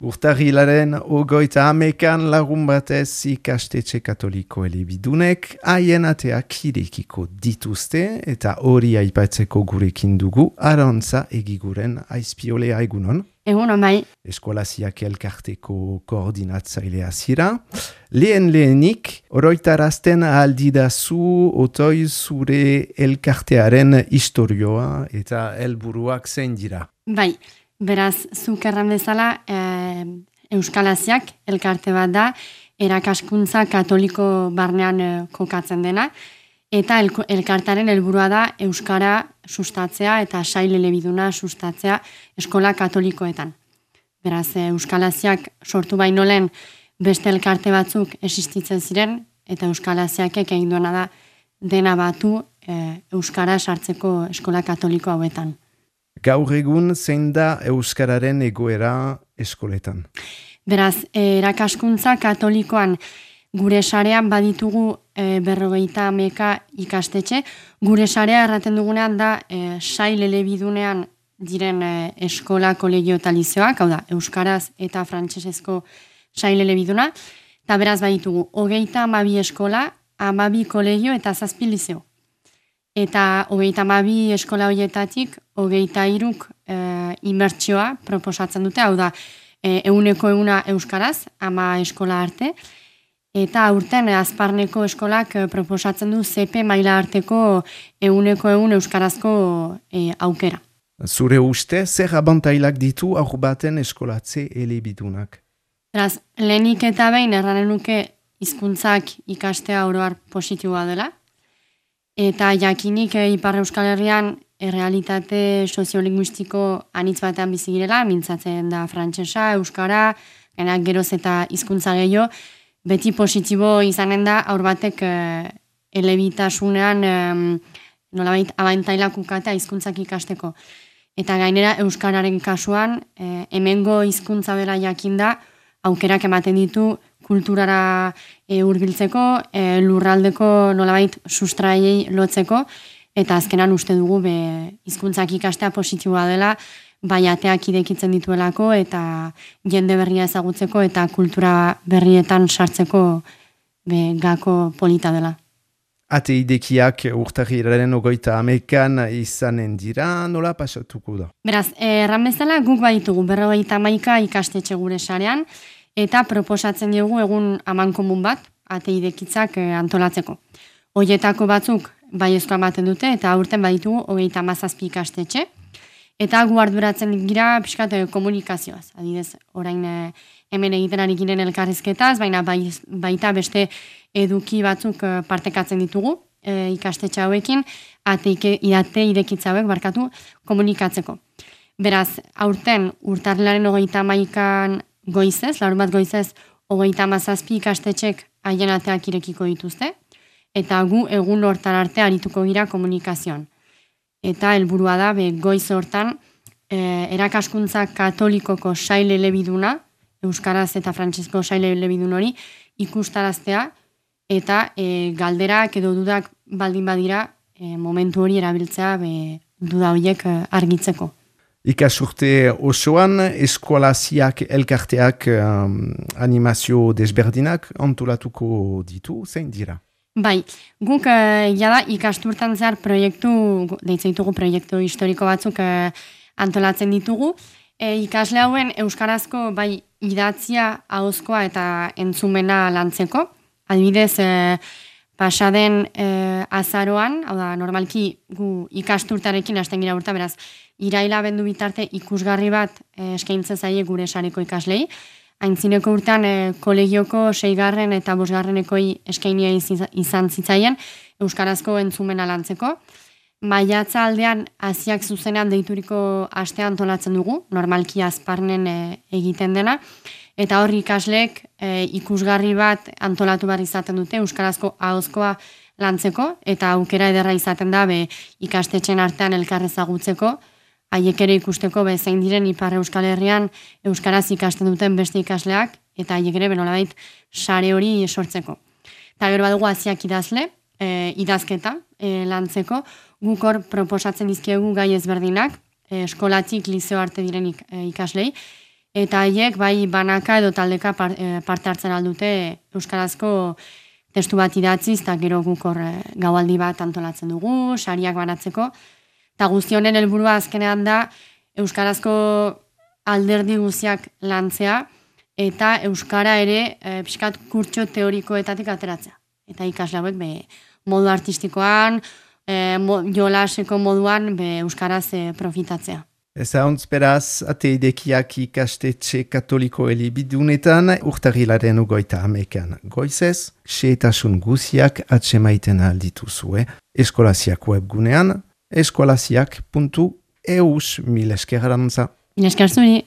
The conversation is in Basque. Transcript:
Urtarrilaren 30ean lagun batez ikastetxe katoliko elebidunek haien ateak irekiko dituzte eta hori aipatzeko gurekin dugu Arantza Egiguren Aizpiolea egunon. Egunon bai. Eskolaziak elkarteko koordinatzailea zira. Lehenik, oroitarazten aldidazu otoi zure elkartearen historioa eta helburuak zein dira. Bai. Beraz, zuk erran bezala, Euskalaziak elkarte bat da, erakaskuntza katoliko barnean kokatzen dena, eta elkartaren helburua da Euskara sustatzea eta sail elebiduna sustatzea eskola katolikoetan. Beraz, Euskalaziak sortu baino lehen beste elkarte batzuk existitzen ziren, eta Euskalaziakek egin duena da dena batu Euskara sartzeko eskola katoliko hauetan. Gaur egun zein da Euskararen egoera eskoletan? Beraz, erakaskuntza katolikoan gure sarean baditugu 50 ikastetxe. Gure sarea erraten dugunean da sail elebidunean diren eskola, kolegio eta lizeoak, hau da, euskaraz eta frantsesezko sail elebiduna. Eta beraz baditugu 32 eskola, 12 kolegio eta 7 lizeo. Eta 32 eskola horietatik 23 imertsioa proposatzen dute, hau da, 100% euskaraz, 10 eskola arte, eta aurten azparneko eskolak proposatzen du CP maila arteko 100% euskarazko aukera. Zure uste, zer abantailak ditu aur baten eskolatze elebidunak? Beraz, lehenik eta behin erranen nuke hizkuntzak ikastea oroar positiboa dela, eta jakinik Ipar Euskal Herrian errealitate soziolinguistiko anitz batean bizi girela, mintzatzen da frantsesa, euskara, geroz eta hizkuntza gehiago, beti positibo izanen da aur batek elebitasunean nolabait abantailak ukatea hizkuntzak ikasteko. Eta gainera euskararen kasuan hemengo hizkuntza bera jakinda aukerak ematen ditu kulturara hurbiltzeko, lurraldeko nolabait sustraiei lotzeko, eta azkenan uste dugu hizkuntzak ikastea positiboa dela, bai ateak irekitzen dituelako eta jende berria ezagutzeko eta kultura berrietan sartzeko gako polita dela. Ate idekiak urtarrilaren 30ean izanen dira, nola pasatuko da? Beraz, erran bezala guk baditugu 50 ikastetxe gure sarean, eta proposatzen diogu egun amankomun bat, ate idekitzak antolatzeko. Hoietako batzuk baiezkoa ematen dute, eta aurten baditugu 37 ikastetxe, eta gu arduratzen gira pixkat komunikazioaz. Adidez, orain hemen egiten ari giren elkarrizketaz, baina baita beste eduki batzuk partekatzen ditugu ikastetxe hauekin, ate irekitza hauek barkatu komunikatzeko. Beraz, aurten urtarrilaren 31 goizez, larun bat goizez, 37 ikastetxek haien ateak irekiko dituzte, eta gu egun hortan arte arituko gira komunikazioan. Eta helburua da, goiz hortan, erakaskuntza katolikoko sail elebiduna, euskaraz eta frantsesko sail elebidun hori, ikustaraztea, eta galderak edo dudak baldin badira, momentu hori erabiltzea duda horiek argitzeko. Ikasurte osoan, eskolaziak elkarteak animazio desberdinak antolatuko ditu, zein dira? Bai, guk jada ikasturtan zehar deitzeitugu proiektu historiko batzuk antolatzen ditugu. Ikasle hauen euskarazko bai idatzia, ahozkoa eta entzumena lantzeko. Adibidez, pasaden azaroan, hau da, normalki gu ikasturtarekin hasten gira urta, beraz, iraila bendu bitarte ikusgarri bat eskaintzen zaie gure sareko ikaslei. Aintzineko urtean kolegioko 6. eta 5. eskainia izan zitzaien euskarazko entzumena lantzeko. Maiatza aldean hasiak zuzenean deituriko astea antolatzen dugu, normalki azparnen egiten dena, eta hor ikasleek ikusgarri bat antolatu behar izaten dute euskarazko ahozkoa lantzeko, eta aukera ederra izaten da ikastetxen artean elkarrezagutzeko, haiek ere ikusteko zein diren Ipar Euskal Herrian euskaraz ikasten duten beste ikasleak, eta haiek ere benolabait sare hori sortzeko. Eta gero badugu hasiak idazle, idazketa lantzeko, guk hor proposatzen dizkiegu gai ezberdinak, eskolatik lizeo arte diren ikaslei, eta haiek bai banaka edo taldeka parte hartzen aldute euskarazko testu bat idatziz, eta gero guk hor gaualdi bat antolatzen dugu, sariak banatzeko, eta guztionen helburua azkenean da euskarazko alderdi guztiak lantzea, eta euskara ere pixkat kurtso teorikoetatik ateratzea. Eta ikasle hauek modu artistikoan, jolaseko moduan euskaraz profitatzea. Ezauntz beraz, ate idekiak ikastetxe katoliko elebidunetan, urtarrilaren 30 goizez, xehetasun guziak atsemaiten aldituzue. Eskolaziak webgunean, eskolaziak.eus. Mil esker arantza. Mil esker zuri.